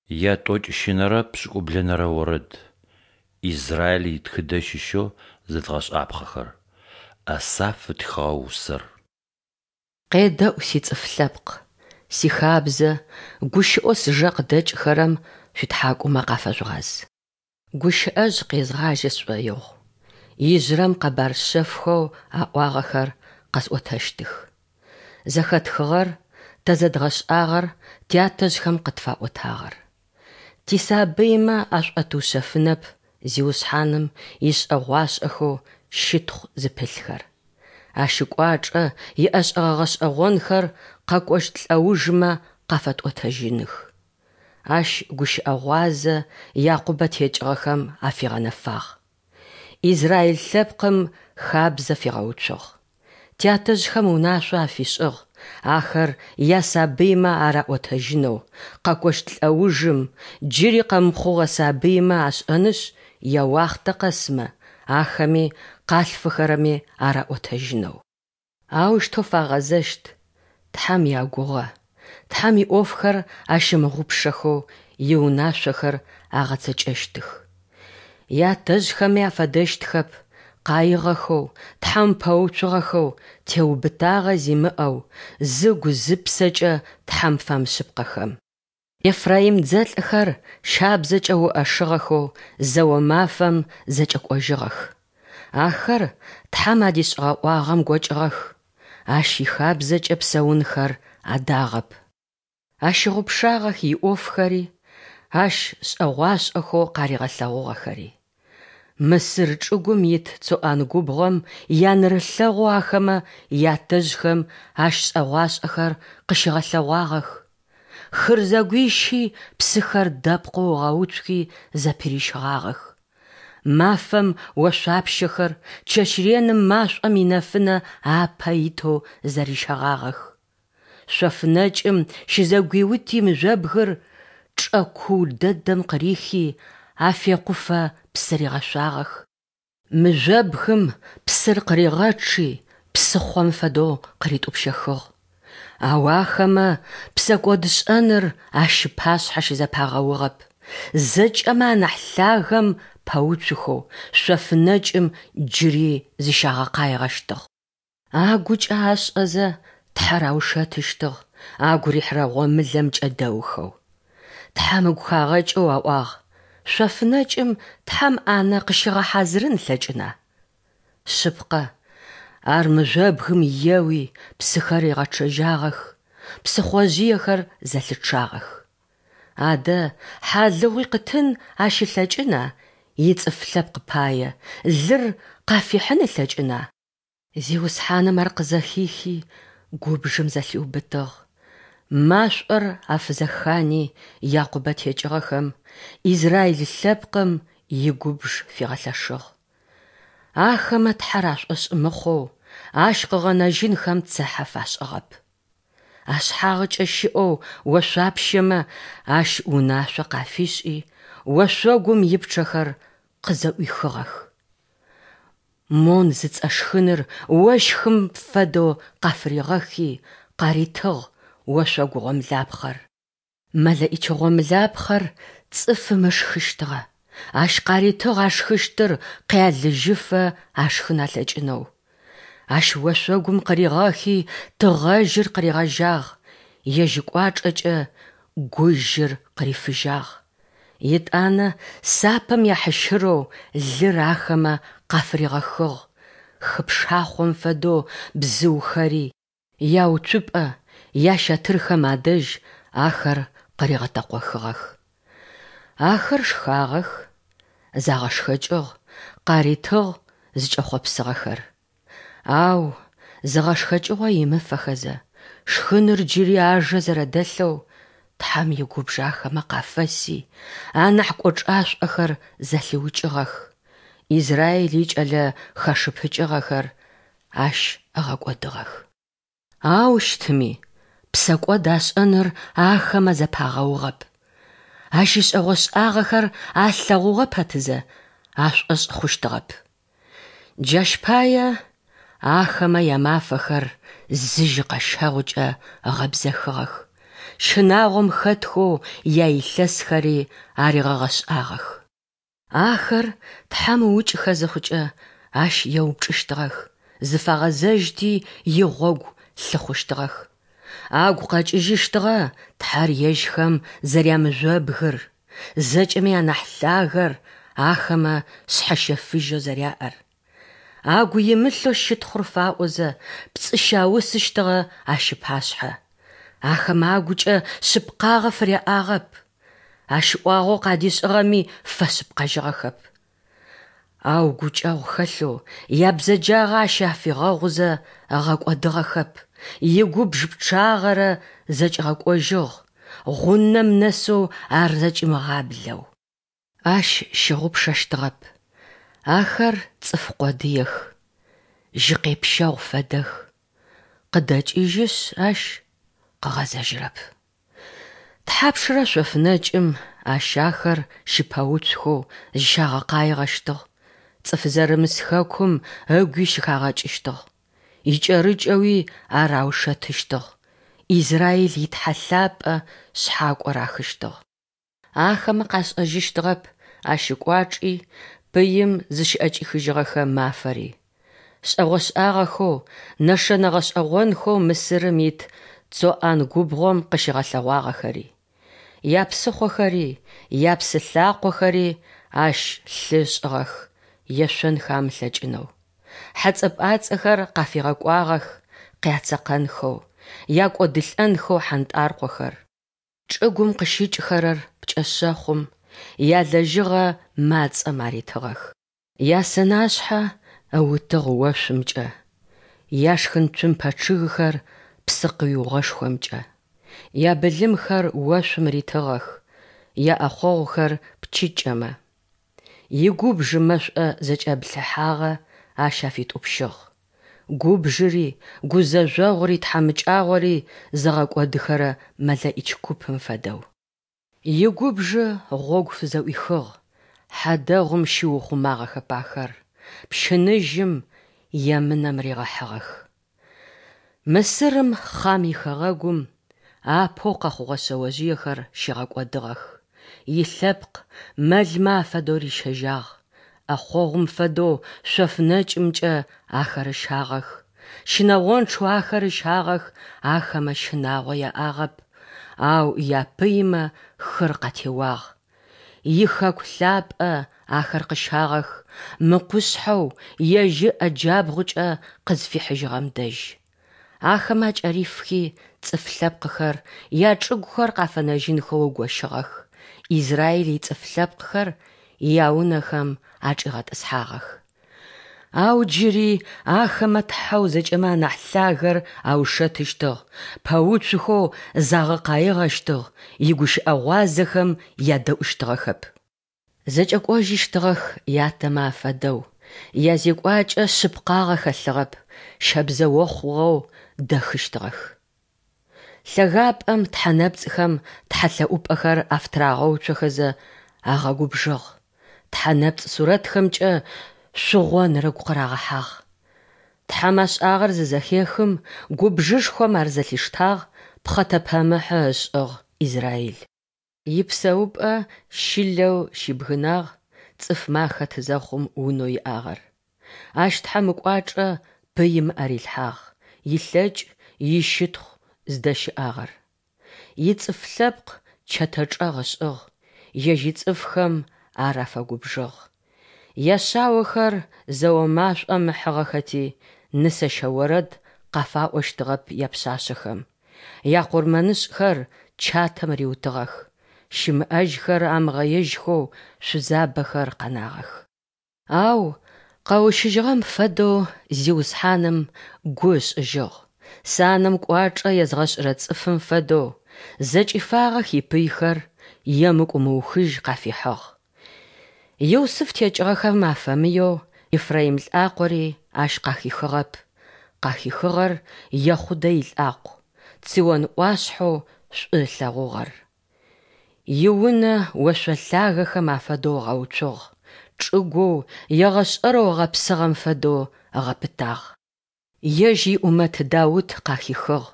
Ятӏокӏищынэрэ пшӏыкӏублэнэрэ орэд. Израиль итхыдэ щыщэу зэдгъэшӏапхъэхэр. Асаф ытхыгъэ усэр. Къедэӏу, сицӏыф лъэпкъ, сихабзэ, гущыӏэу сыжэ къыдэкӏыхэрэм шъуитхьакӏумэ къафэжъугъаз. Гущыӏэжъ къезгъажьэ сшӏоигъу, ижъырэм къэбар шъэфхэу аӏуагъэхэр къэсӏотэщтых. Зэхэтхыгъэр, тэ зэдгъэшӏагъэр, тятэжъхэм къытфаӏотагъэр. Тисабыймэ ашӏотыушъэфынэп Зиусхьаным ишӏэгъуашӏэхэу щытхъу зыпылъхэр. Ащ ыкӏуачӏэ, иӏэшӏэгъэ гъэшӏэгъонхэр къэкӏощт лӏэужмэ къафэтӏотэжьыных. Ащ гущыӏэгъуазэ Якъубэ текӏыгъэхэм афигъэнэфагъ. Израил лъэпкъым хабзэ фигъэуцугъ. Тятэжъхэм унашъо афишӏыгъ, ахэр ясабыймэ араӏотэжьынэу, къэкӏощт лӏэужым, джыри къэмыхъугъэ сабыймэ ашӏэнышъ, яуахътэ къэсмэ, ахэми къалъфыхэрэми араӏотэжьынэу. Аущтэу фагъэзэщт Тхьэм ягугъэ, Тхьэм иӏофхэр ащымыгъупшэхэу иунашъохэр агъэцэкӏэщтых. Ятэжъхэми афэдэщтхэп, къаигъэхэу, Тхьэм пэуцугъэхэу, теубытагъэ зимыӏэу, зыгу-зыпсэкӏэ Тхьэм фэмышъыпкъэхэм. Ефраим дзэлӏхэр щабзэкӏэ уӏэшыгъэхэу зэо мафэм зэкӏэкӏожьыгъэх. Ахэр Тхьэм адишӏыгъэ ӏуагъэм гокӏыгъэх, Ащ ихабзэкӏэ псэунхэр адагъэп. Ащыгъупшагъэх иӏофхэри, Ащ шӏэгъуашӏэхэу къаригъэлъэгъугъэхэри. Мысыр чӏыгум ит Цоӏан губгъом янэрылъэгъоу ахэмэ ятэжъхэм ащ шӏэгъуашӏэхэр къыщигъэлъэгъуагъэх. Хыр зэгуищи псыхэр дэпкъэу ыгъэуцухи зэпырищыгъагъэх. Мафэм ошъуапщэхэр, чэщ реным машӏом инэфынэ апэ итэу зэрищэгъагъэх. Шъоф нэкӏым щызэгуиути мыжъобгыр чӏэ куу дэдэм къырихи, афекъуфэ псы ригъэшъуагъэх. Мыжъобгым псыр къыригъэчъи, псыхъом фэдэу къыритӏупщэхыгъ. Ау ахэмэ псэкӏодшӏэныр Ащ ыпашъхьэ щызэпагъэугъэп, зэкӏэмэ анахь лъагэм пэуцухэу шъоф нэкӏым джыри зыщагъэкъаигъэщтыгъ. Агукӏэ ашӏэзэ Тхьэр аушэтыщтыгъ, агу рихьырэ гъомылэм кӏэдэухэу. Тхьэм ыгу хагъэкӏэу аӏуагъ, Шъоф нэкӏым Тхьэм ӏанэ къыщигъэхьазырын ылъэкӏына? Шъыпкъэ, ар мыжъобгым еуи, псыхэр ригъэчъэжьагъэх, псыхъожъыехэр зэлъычъагъэх. Адэ, хьалыгъуи къытын ащ ылъэкӏына ицӏыф лъэпкъ пае, лыр къафихьын ылъэкӏына? Зиусхьаным ар къызэхихи, губжым зэлъиубытыгъ. Машӏор афызэхани Якъубэ текӏыгъэхэм, Израил лъэпкъым игубж фигъэлъэшыгъ. Ахэмэ Тхьэр ашӏошъ мыхъоу, Ащ къыгъэнэжьынхэм цыхьэ фашӏыгъэп. Ашъхьагъыкӏэ щыӏэу ошъуапщэмэ Ащ унашъо къафишӏи, ошъогум ипчъэхэр къызэӏуихыгъэх. Мон зыцӏэ шхыныр ощхым фэдэу къафыригъэхи, къаритыгъ ошъогу гъомлапхъэр. Мэлэӏич гъомлапхъэр цӏыфым ышхыщтыгъэ, ащ къаритыгъ ашхыщтыр къялыжьыфэ ашхын алъэкӏынэу. Ащ ошъогум къыригъэхи тыгъэжьыр къыригъэжьагъ, ежь ыкӏуачӏэкӏэ гужьыр къырифыжьагъ. Етӏанэ сапэм яхьыщырэу лыр ахэмэ къафыригъэхыгъ, хы пшахъом фэдэу бзыухэри, яуцупӏэ, ящэтырхэм адэжь ахэр къыригъэтэкъохыгъэх. Ахэр шхагъэх, загъэшхэкӏыгъ, къаритыгъ зыкӏэхъопсыгъэхэр. Ау, зыгъэшхэкӏыгъо имыфэхэзэ, шхыныр джыри ажэ зэрэдэлъэу, Тхьэм игубж ахэмэ къафэси, анахь кӏочӏашӏохэр зэлъиукӏыгъэх, Израиль икӏэлэ хэшыпыкӏыгъэхэр Ащ ыгъэкӏодыгъэх. Ау щытми, псэкӏод ашӏэныр ахэмэ зэпагъэугъэп. Ащ ишӏэгъо-шӏагъэхэр алъэгъугъэ пэтызэ, ашӏошъ хъущтыгъэп. Джащ пае ахэмэ ямафэхэр зы жьыкъэщэгъукӏэ ыгъэбзэхыгъэх. щынагъом хэтхэу яилъэсхэри аригъэгъэшӏагъэх. Ахэр Тхьэм ыукӏыхэ зыхъукӏэ, Ащ еупчӏыщтыгъэх, зыфагъэзэжьти игъогу лъыхъущтыгъэх. Агу къэкӏыжьыщтыгъэ Тхьэр ежьхэм зэрямыжъобгыр, зэкӏэми анахь лъагэр ахэмэ шъхьэщэфыжьэу зэряӏэр. Агу имылъэу щытхъур фаӏозэ, пцӏы щаусыщтыгъэ Ащ ыпашъхьэ. Ахэмэ агукӏэ шъыпкъагъэ фыряӏагъэп. Ащ ӏуагъэу къадишӏыгъэми фэшъыпкъэжьыгъэхэп. Ау гукӏэгъу хэлъэу, ябзэджагъэ ащ афигъэгъузэ ыгъэкӏодыгъэхэп, игубж пчъагъэрэ зэкӏигъэкӏожьыгъ, гъунэм нэсэу ар зэкӏимыгъаблэу. Ащ щыгъупшэщтыгъэп, ахэр цӏыф къодыех, жьыкъепщэгъу фэдэх, къыдэкӏыжьышъ ащ къыгъэзэжьырэп. Тхьапшрэ шъоф нэкӏым ащ ахэр щыпэуцухэу зыщагъэкъаигъэщтыгъ, цӏыф зэрымыс хэкум ыгуи щыхагъэкӏыщтыгъ, икӏэрыкӏэуи ар аушэтыщтыгъ, Израиль и Тхьэ лъапӏэ шъхьакӏо рахыщтыгъ. Ахэмэ къашӏэжьыщтыгъэп ащ ыкӏуачӏи, пыим зыщыӏэкӏихыжьыгъэхэ мафэри. Шӏэгъошӏагъэхэу, нэшэнэ гъэшӏэгъонхэу Мысырым ит Цоан губгъом къыщигъэлъэгъуагъэхэри. Япсыхъохэри, япсы лъакъохэри ащ лъы ышӏыгъэх, ешъонхэ амылъэкӏынэу. Хьэцӏэ-пӏацӏэхэр къафигъэкӏуагъэх, къяцэкъэнхэу, якӏодылӏэнхэу хьантӏаркъохэр. Чӏыгум къыщыкӏхэрэр пкӏэшъэхъум, ялэжьыгъэ мацӏэм аритыгъэх. Ясэнашъхьэ ыутыгъ ошъумкӏэ, яшхын цумпэ чъыгхэр псыкъиугъэшхомкӏэ. Ябылымхэр ошъум ритыгъэх, яӏэхъогъухэр пчыкӏэмэ. Игубж мэшӏо зэкӏэблъыхьагъэ ащ афитӏупщыгъ. Губжыри, гузэжъогъури тхьамыкӏагъори зыгъэкӏодыхэрэ мэлэӏич купым фэдэу. Игубжы гъогу фызэӏуихыгъ, хьадэгъум щиухъумагъэхэп ахэр, пщыныжьым емынэм ригъэхьыгъэх. Мысырым, Хъам ихэгъэгум, апэу къэхъугъэ шъэожъыехэр щигъэкӏодыгъэх, илъэпкъ мэлмэ афэдэу рищэжьагъ, ӏэхъогъум фэдэу шъоф нэкӏымкӏэ ахэр ыщагъэх, щынэгъончъэу ахэр ыщагъэх, ахэмэ щынагъо яӏагъэп, ау япыймэ хыр къатеуагъ. Ихэку лъапӏэ ахэр къыщагъэх, мы къушъхьэу Ежь ыӏэ джабгъукӏэ къызфихьыжьыгъэм дэжь. Ахэмэ акӏэрифхи, цӏыф лъэпкъхэр, ячӏыгухэр къафэнэжьынхэу ыгощыгъэх, Израиль ицӏыф лъэпкъхэр яунэхэм ачӏигъэтӏысхьагъэх. Ау джыри ахэмэ Тхьэу зэкӏэмэ анахь лъагэр аушэтыщтыгъ, пэуцухэу загъэкъаигъэщтыгъ, игущыӏэ гъуазэхэм ядэӏущтыгъэхэп. Зэкӏэкӏожьыщтыгъэх ятэмэ афэдэу, язекӏуакӏэ шъыпкъагъэ хэлъыгъэп, щэбзэохъугъэу дэхыщтыгъэх. Лъэгапӏэм тхьэ нэпцӏхэм тхьэлъэӏупӏэхэр афытырагъэуцохэзэ агъэгубжыгъ, тхьэ нэпцӏ сурэтхэмкӏэ шъугъоныр ыгу къырагъэхьагъ. Тхьэм ашӏагъэр зызэхехым, губжышхом ар зэлъиштагъ, пхъэтэпэмыхьы ышӏыгъ Израиль. Ипсэупӏэ Щылэу щибгынагъ, цӏыфмэ ахэт зэхъум унэу иӏагъэр. Ащ Тхьэм ыкӏуачӏэ пыим ыӏэ рилъхьагъ, илъэкӏ, ищытхъу зыдэщыӏагъэр. Ицӏыф лъэпкъ чэтэ чӏэгъ ышӏыгъ, ежь ицӏыфхэм ар афэгубжыгъ. Яшъаохэр зэо машӏом ыхьыгъэхэти, нысэщэ орэд къафаӏощтыгъэп япшъашъэхэм. Якъурмэнышӏхэр чатэм риутыгъэх, щымыӏэжьхэр амыгъэежьхэу шъузабэхэр къэнагъэх. Ау къэущыжьыгъэм фэдэу Зиусхьаным гу ышӏыжьыгъ, санэм кӏуачӏэ езгъэшӏырэ цӏыфым фэдэу, зэкӏифагъэх ипыйхэр, емыкӏу мыухыжь къафихьыгъ. Юсыф текӏыгъэхэм афэмыеу Ефраим лӏакъори ащ къахихыгъэп, къахихыгъэр Ехъудэ илӏакъу, Цион ӏуашъхьэу шӏу ылъэгъугъэр. Иунэ ошъо лъагэхэм афэдэу ыгъэуцугъ, чӏыгоу егъэшӏэрэу ыгъэпсыгъэм фэдэу ыгъэпытагъ. Ежь иӏумэт Даут къахихыгъ,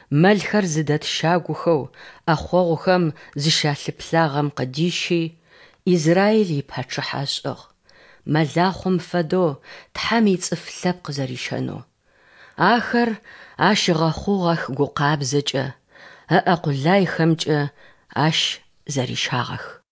мэлхэр зыдэт щагухэу ӏэхъогъухэм зыщалъыплъагъэм къыдищи, Израил ипачъыхьэ ышӏыгъ, мэлахъом фэдэу Тхьэм ицӏыф лъэпкъ зэрищэнэу. Ахэр Ащ ыгъэхъугъэх гукъабзэкӏэ, ыӏэ къулайхэмкӏэ Ащ зэрищагъэх.